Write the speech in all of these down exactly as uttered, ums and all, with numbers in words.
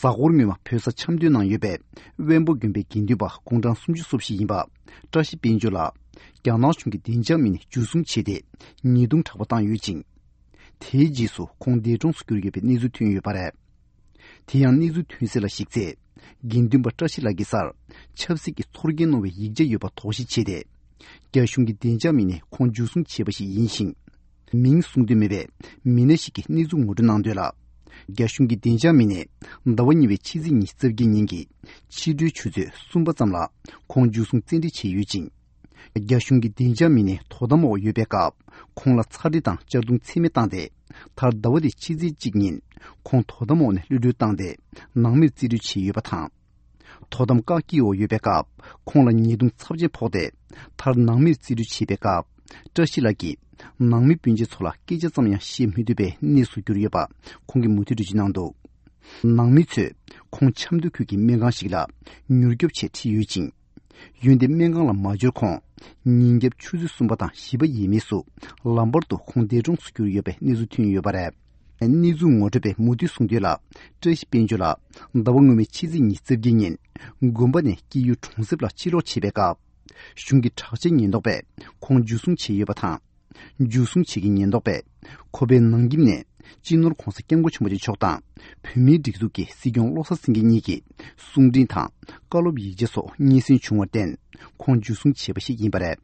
གཟའ་འཁོར་སྔོན་མ་བོད་ས་འཆམ་མཐུན་གནང་ཡོད་པའི་དབོན་པོ་དགོན་པའི་དགེ་འདུན་པ་གུང་གྲངས་སུམ་ཅུ་སོ་བཞི་ཡིན་པ་བཀྲ་ཤིས་དཔལ་འབྱོར་ལགས། རྒྱ་ནག་གཞུང་གིས་བདེ་འཇགས་མི་སྣས་འཇུ་བཟུང་བྱས་ཏེ་ཉེས་རྡུང་དྲག་པོ་བཏང་ཡོད་ཅིང་། དེའི་རྗེས་སུ་ཁོང་འདས་གྲོངས་སུ་གྱུར་ཡོད་པའི་གནས་ཚུལ་ཐོན་ཡོད་པ་རེད། དེ་ཡང་གནས་ཚུལ་ཐོན་གསལ་ལ་གཞིགས་ཚེ། དགེ་འདུན་པ་བཀྲ་ཤིས་ལགས་ཀྱི་སར་ཆབ་སྲིད་ཀྱི་ཚོར་སྐྱེན་གནང་བའི་ཡིག་ཆ་ཡོད་པ་དོགས་གཞི་བྱས་ཏེ། རྒྱ་གཞུང་གི་བདེ་འཇགས་མི་སྣས་ཁོང་འཇུ་བཟུང་བྱས་པ་ཞིག་ཡིན་ཞིང་། མིང་གསུང་འདོད་མེད་པའི་མི་སྣ་ཞིག་གིས་གནས་ཚུལ་ངོ་སྤྲོད་གནང་དོན་ལ། རྒྱ་གཞུང་གི་བདེ་འཇགས་མི་སྣས་ཟླ་བ་གཉིས་པའི་ཕྱི་ཚེས་ཉི་ཤུ་རྩ་བརྒྱད་ཉིན་གྱི་ཕྱི་དྲོའི་ཆུ་ཚོད་གསུམ་པ་ཙམ་ལ་ཁོང་འཇུ་བཟུང་བཙན་ཁྲིད་བྱས་ཡོད་ཅིང་། རྒྱ་གཞུང་གི་བདེ་འཇགས་མི་སྣས་དོ་དམ་འོག་ཡོད་པའི་སྐབས་ཁོང་ལ་ཚ་འདྲི་དང་གཅར་རྡུང་ཚད་མེད་བཏང་སྟེ། མཐར་ཟླ་བ་འདིའི་ཕྱི་ཚེས་གཅིག་ཉིན་ཁོང་དོ་དམ་འོག་ནས་གློད་གྲོལ་བཏང་སྟེ་ནང་མིར་རྩིས་སྤྲོད་བྱས་ཡོད་པ་དང་། དོ་དམ་བཀག་སྐྱིལ་འོག་ཡོད་པའི་སྐབས་ཁོང་ལ་ཉེས་རྡུང་ཚབས་ཆེན་ཕོག་སྟེ། མཐར་ནང་མིར་རྩིས་སྤྲོད་བྱས་པའི་སྐབས་བཀྲ་ཤིས་ལགས་ཀྱིས་ནང་མི་སྤུན་མཆེད་ཚོ་ལ་སྐད་ཆ་ཙམ་ཡང་བཤད་མི་ཐུབ་པའི་གནས་སུ་གྱུར་ཡོད་པ་ཁོང་གིས་མུ་མཐུད་འགྲེལ་བརྗོད་གནང་འདུག། ནང་མི་ཚོས་ཁོང་ཆབ་མདོ་ཁུལ་གྱི་སྨན་ཁང་ཞིག་ལ་མྱུར་སྐྱོབ་ཆེད་ཁྲིད་ཡོད་ཅིང་། འོན་ཏེ་སྨན་ཁང་ལ་མ་འབྱོར་གོང་ཉིན་རྒྱབ་ཆུ་ཚོད་གསུམ་པ་དང་བཞི་པ་ཡས་མས་སུ་ལམ་བར་དུ་ཁོང་འདས་གྲོངས་སུ་གྱུར་ཡོད་པའི་གནས་ཚུལ་ཐོན་ཡོད་པ་རེད། གནས་ཚུལ་ངོ་སྤྲོད་པས་མུ་མཐུད་གསུངས་དོན་ལ། བཀྲ་ཤིས་དཔལ་འབྱོར་ལགས་ཟླ་བ་སྔོན་མའི་ཕྱི་ཚེས་ཉི་ཤུ་རྩ་བརྒྱད་ཉིན་དགོན་པ་ནས་སྐྱེས་ཡུལ་གྲོང་གསེབ་ལ་ཕྱིར་ལོག་བྱེད་པའི་སྐབས། གཞུང་གི་དྲག་ཆས་ཉེན་རྟོག་པས་ཁོང་འཇུ་བཟུང་བྱས་ཡོད་པ་དང་། འཇུ་བཟུང་བྱེད་ཀྱི་ཉེན་རྟོག་པས་ཁོ་པའི་ནང་ཁྱིམ་ནས་སྤྱི་ནོར་༧གོང་ས་༧སྐྱབས་མགོན་ཆེན་པོ་མཆོག་དང་བོད་མིའི་སྒྲིག་འཛུགས་ཀྱི་སྲིད་སྐྱོང་བློ་བཟང་སེང་གེ་གཉིས་ཀྱི་གསུང་འཕྲིན་དང་བཀའ་སློབ་ཡིག་ཆ་སོགས་རྙེད་སོན་བྱུང་བར་བརྟེན་ཁོང་འཇུ་བཟུང་བྱས་པ་ཞིག་ཡིན་པ་རེད།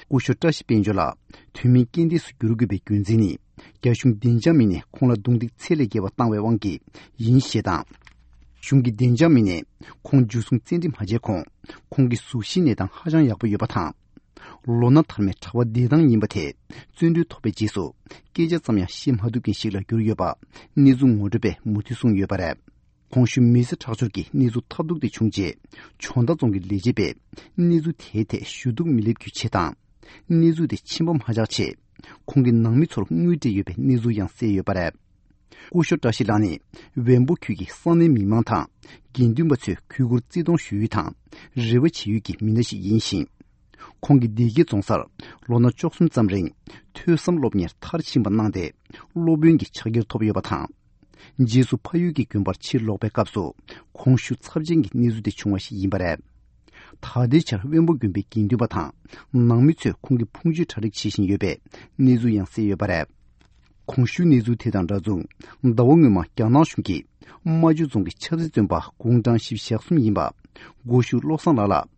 སྐུ་ཞབས་བཀྲ་ཤིས་དཔལ་འབྱོར་ལགས་དུས་མིན་རྐྱེན་འདས་སུ་གྱུར་དགོས་པའི་རྒྱུ་མཚན་ནི། རྒྱ་གཞུང་བདེ་འཇགས་མི་སྣས་ཁོང་ལ་རྡུང་རྡེག་ཚད་ལས་བརྒལ་བ་བཏང་བའི་དབང་གིས་ཡིན་ཞེས་དང་། གཞུང་གི་བདེ་འཇགས་མི་སྣས་ཁོང་འཇུ་བཟུང་བཙན་ཁྲིད་མ་བྱས་གོང་ཁོང་གི་གཟུགས་གཞིའི་གནས་སྟངས་ཧ་ཅང་ཡག་པོ་ཡོད་པ་དང་། ལོ་ན་དར་མའི་གྲྭ་པ་བདེ་ཐང་ཡིན་པ་དེ་བཙོན་གྲོལ་ཐོབ་པའི་རྗེས་སུ་སྐད་ཆ་ཙམ་ཡང་བཤད་མ་ཐུབ་མཁན་ཞིག་ལ་གྱུར་ཡོད་པ་གནས་ཚུལ་ངོ་སྤྲོད་པས་མུ་མཐུད་གསུངས་ཡོད་པ་རེད། གོང་ཞུས་མི་ཚེ་ཁྲག་སྦྱོར་གྱི་གནས་ཚུལ་ཐབས་སྡུག་དེ་བྱུང་རྗེས་ཇོ་མདའ་རྫོང་གི་ལས་བྱེད་པས་གནས་ཚུལ་དེའི་ཐད་ཞུ་གཏུག་མི་སླེབས་རྒྱུའི་ཆེད་དང་། གནས་ཚུལ་དེ་ཕྱིན་པ་མ་བཞག་ཆེད་ཁོང་གི་ནང་མི་ཚོར་དངུལ་སྤྲད་ཡོད་པའི་གནས་ཚུལ་ཡང་གསལ་ཡོད་པ་རེད། སྐུ་ཞབས་བཀྲ་ཤིས་ལགས་ནི་བོན་པོ་ཁུལ་གྱི་ས་གནས་མི་མང་དང་དགེ་འདུན་པ་ཚོས་གུས་བཀུར་བརྩི་མཐོང་ཞུ་ཡུལ་དང་རེ་བ་བྱེད་ཡུལ་གྱི་མི་སྣ་ཞིག་ཡིན་ཞིང་། ཁོང་གིས་སྡེ་དགེ་རྫོང་སར་ལོ་ན་བཅུ་གསུམ་ཙམ་རིང་ཐོས་བསམ་སློབ་གཉེར་མཐར་ཕྱིན་པ་གནང་སྟེ་སློབ་དཔོན་གྱི་ཕྱག་འཁྱེར་ཐོབ་ཡོད་པ་དང་། རྗེས་སུ་ཕ་ཡུལ་གྱི་དགོན་པར་ཕྱིར་ལོག་པའི་སྐབས་སུ་གོང་ཞུས་ཚབས་ཆེན་གྱི་གནས་ཚུལ་དེ་བྱུང་བ་ཞིག་ཡིན་པ་རེད། ད་ལྟའི་ཆར་དབོན་པོ་དགོན་པའི་དགེ་འདུན་པ་དང་ནང་མི་ཚོས་ཁོང་གི་ཕུང་མཆོད་གྲ་སྒྲིག་བྱེད་བཞིན་ཡོད་པའི་གནས་ཚུལ་ཡང་གསལ་ཡོད་པ་རེད། གོང་ཞུས་གནས་ཚུལ་དེ་དང་འདྲ་མཚུངས་ཟླ་བ་སྔོན་མ་རྒྱ་ནག་གཞུང་གིས་རྨ་ཆུ་རྫོང་གི་ཆབ་སྲིད་བཙོན་པ་གུང་གྲངས་བཞི་བཅུ་ཞེ་གསུམ་ཡིན་པ་སྒོ་ཤུག་བློ་བཟང་ལགས་ལ་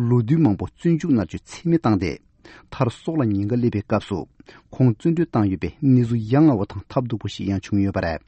ལོ་དུས་མང་པོ་བཙོན་འཇུག་མནར་གཅོད་ཚད་མེད་བཏང་སྟེ། མཐར་སྲོག་ལ་ཉེན་ཁ་སླེབས་པའི་སྐབས་སུ་ཁོང་བཙོན་གྲོལ་བཏང་ཡོད་པའི་གནས་ཚུལ་ཡ་ང་བ་དང་ཐབས་སྡུག་པོ་ཞིག་ཡང་བྱུང་ཡོད་པ་རེད།